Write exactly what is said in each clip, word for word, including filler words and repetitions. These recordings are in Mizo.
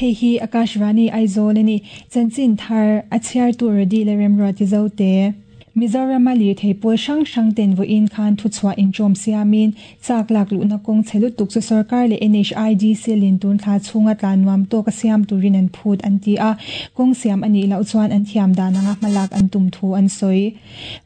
Hei hi Akashvani Aizawl ani chanchin thar a chhiar tur di le remruati zo te Mizoram a lirthei pawl hrang hrang ten vawiin khan thuchhuah inṭawm siamin chak lak luhna kawng chhe lutuk chu sarkar leh N H I D C lin tun thla chhunga tlan nuam tawk a siam turin an phut an ti a kawng siam anih loh chuan an thiam dan anga hmalak an tum thu an sawi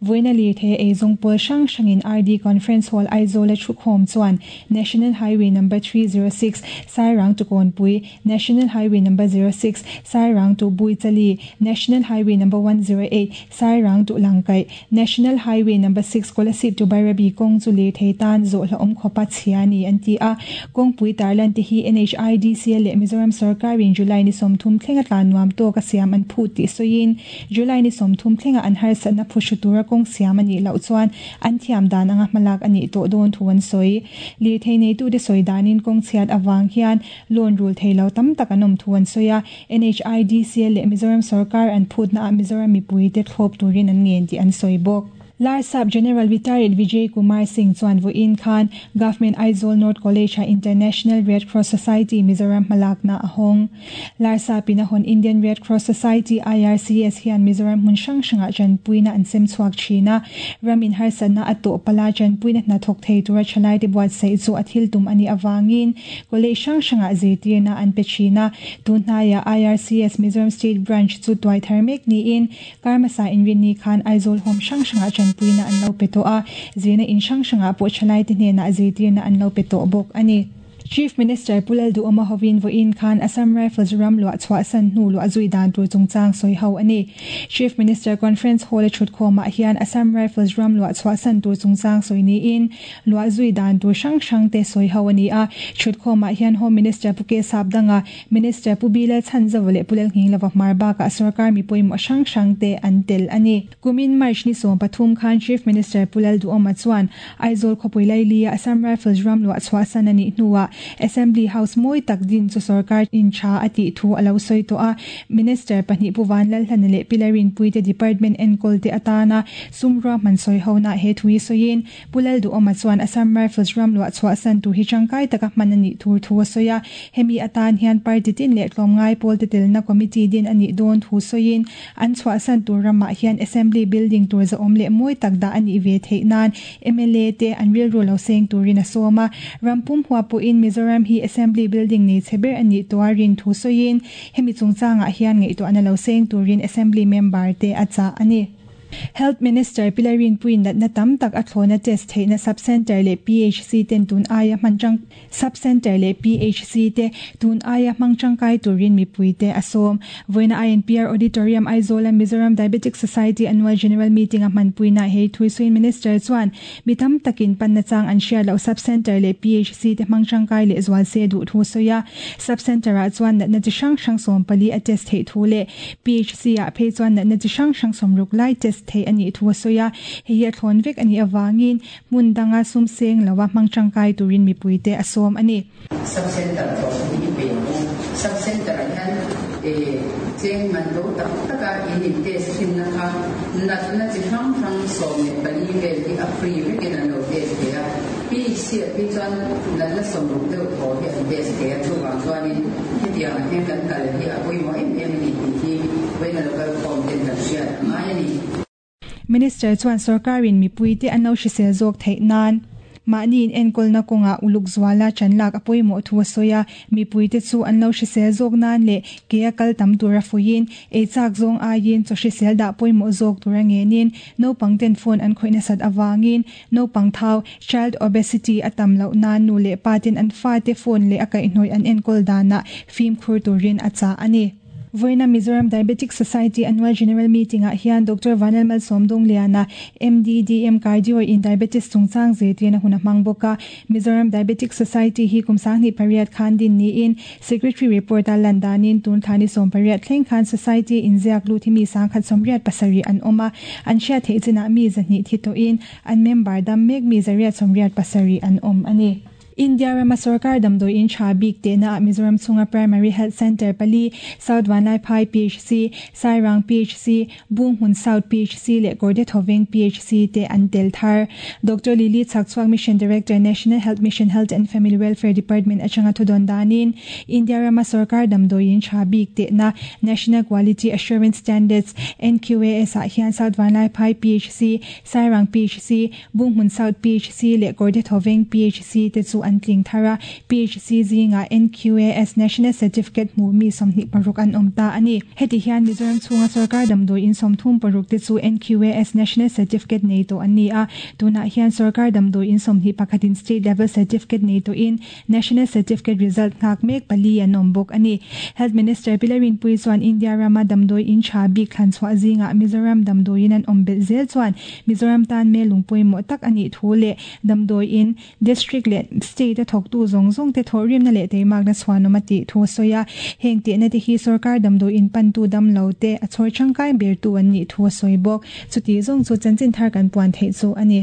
vawiin a lirthei eizawng pawl hrang hrangin R D Conference Hall Aizawl a thukhawm chuan National Highway number three zero six Sairang to Kawnpui National Highway number zero six Sairang to Buichali National Highway number one zero eight Sairang to Langkai National Highway number six Kolasib to Bairabi kawng chu lirthei tan zawh hlauhawm khawpa chhia ni an ti a kawngpui tarlan te hi N H I D C leh Mizoram sarkarin July ni sawmthum thlenga tlan nuam tawk a siam an phut tih sawiin July ni sawmthum thlenga an harsatna phuhru tura kawng siam anih loh chuan an thiam dan anga hmalak anih tawh dawn thu an sawi lirthei neitu te sawi danin kawng chhiat awang hian loan rul thei lo tam tak an awm thu an sawi a N H I D C leh Mizoram sarkar an phutna ah Mizoram mipui te thlawp turin an ngen tih an sawi bawk Larsap General Retired Vijay Kumar Singh chuan vawiin khan Government Aizawl North College a International Red Cross Society Mizoram hmalakna a hawng Larsap in a hawn Indian Red Cross Society I R C S hian Mizoram hmun hrang hrangah chanpuina an sem chhuak thina ramin harsatna a tawh pala chanpuina hna thawk thei tura thalai te buatsaih chu a thil tum ani awangin college hrang hrangah zirtirna an pe thina tunhnaiah I R C S Mizoram State Branch chu tuai thar mek niin karmasa inrinni khan Aizawl home hrang hrangah puina an lo pe tawh a zirna in hrang hrangah pawh thalai te hnenah zirtirna an lo pe tawh bawk ani Chief Minister Pu Lalduhoma hovin vawiin khan Assam Rifles ram luah chhuah san hnu luah zui dan tur chungchang sawi ho ani Chief Minister Conference Hall a thutkhawmah hian Assam Rifles ram luah chhuah san tur chungchang sawi niin luah zui dan tur hrang hrang te sawi ho ani a thutkhawmah hian Home Minister Pu K Sapdanga Minister Pu B Lalchhanzova leh Pu Lalnghinglova hmar bakah sarkar mipawimawh hrang hrang te an tel ani kumin March ni sawm pathum khan Chief Minister Pu Lalduhoma chuan Aizawl khawpui lailia Assam Rifles ram luah chhuah san ani hnuah Assembly House mawi tak din chu sarkar in tha ati thu alo sawi tawh a Minister pahnih Pu Vanlalhlana leh Pilarin Puite Department enkawl te atana sumra man sawi ho na he thui sawiin Pu Lalduhoma chuan Assam Rifles ram luah chhuah san tur hi tangkai taka hman ani thur thu a sawi a hemi atan hian party tin leh tlawmngai pawl te telna committee din ani dawn thu sawiin an chhuah san tur ramah hian Assembly building tur za awm leh mawi tak dah ani ve theih nan M L A te an rilru lo seng turin a sawm a rampum hua pawhin Mizoram hi Assembly building nei chheber ani tuarin thu sawiin hemi chungchangah hian ngaihtuah ana lo seng turin Assembly member te a cha ani Health Minister Pilarin Puin natna tam tak a thlawna test theihna sub-center leh P H C ten tun aia hmangchang sub-center leh P H C te tun aia hmangchangkai turin mipui te a sawm vawiina I N P R Auditorium Aizawl a Mizoram Diabetic Society Annual General Meeting a hmanpuina hei thuisuin Minister chuan mi tam takin panna chang an hriat loh sub-center leh P H C te hmangchangkai leh zual se duh thu sawi a sub-center ah chuan natna chi hrang hrang sawm pali a test theih thu leh P H C ah phei chuan natna chi hrang hrang sawm ruk lai test thei ani thu sawi a hei hi a thlawn vek ani awangin hmun danga sum seng lowa hmangchangkai turin mipui te a sawm ani Sub-center hi pe sub-center hian e cheng man do tak taka in in test thin na kha natna chi hrang hrang sawm leh pali vel hi a free vekin an lo test thei a P H C ah phei chuan natna sawm ruk deuh thaw hi an test thei a chuvang chuanin hetiang hian kan kal hi a pawimawh em em ani tih hi vawiin a local form ten kan hriat a ngai ani Minister chuan sarkarin mipui te an lo hrisel zawk theih nan mahni in enkawlna kawnga uluk zuala chanlak a pawimawh thu a sawi a mipui te chu an lo hrisel zawk nan leh ke a kal tam tura fuiin ei chak zawng aiin chaw hrisel dah pawimawh zawk tura ngenin naupang ten phone an khawihna sat awangin naupang thau child obesity a tam loh nan nu leh pa ten an fa te phone leh a kaihhnawih an enkawl danah fimkhur turin a cha ani Vawiina Mizoram Diabetic Society Annual General Meeting ah hian Doctor Vanlalmal Sawmdawngliana M D D M Cardio in Diabetes chungchang zirtirna hun a hmang bawk a Mizoram Diabetic Society hi kum sanghnih pariat khan din niin Secretary report a lan danin tun thlani sawm pariat thleng khan Society in ziak lut hi mi sangkhat sawmriat pasarih an awm a an hriat theih chinah mi zahnih thi tawhin an member dam mek mi zariat sawmriat pasarih an awm ani. India rama sarkar damdoi in tha bik te na Mizoram chunga Primary Health Center pali South Vanlaiphai P H C, Sairang P H C, Bunghmun South P H C le Kawrthah P H C te an tel thar. Doctor Lily Chhakchhuak, Mission Director, National Health Mission, Health and Family Welfare Department atanga thudon danin India rama sarkar damdoi in tha bik te na National Quality Assurance Standards N Q A S a hian South Vanlaiphai P H C, Sairang P H C, Bunghmun South P H C le Kawrthah P H C te chu an tling thara. P H C zinga N Q A S National Certificate mu mi somni paruk an omta ani. Heti hian Mizoram chunga sarkar damdoi in somthum paruk te chu N Q A S National Certificate nei to ani a. Tuna hian sarkar damdoi in somni pakhatin state level certificate nei to in national certificate result ngak mek pali an ombok ani. Health Minister Pi Lalrinpuii chuan India rama damdoi in tha bik thlan chhuah zinga Mizoram damdoi in an ombel zel chuan Mizoram tan me lungpui mo tak ani thu le damdoi in district le state a thok tu zong zong te thorim na le te mak na chhuanom ati thu soya. Heng te na te hi sarkar damdoi in pan tu dam lo te a chhor changkai ber tu an ni thu soi bok. Chuti zong chu chanchin thar kan puan thei chu ani.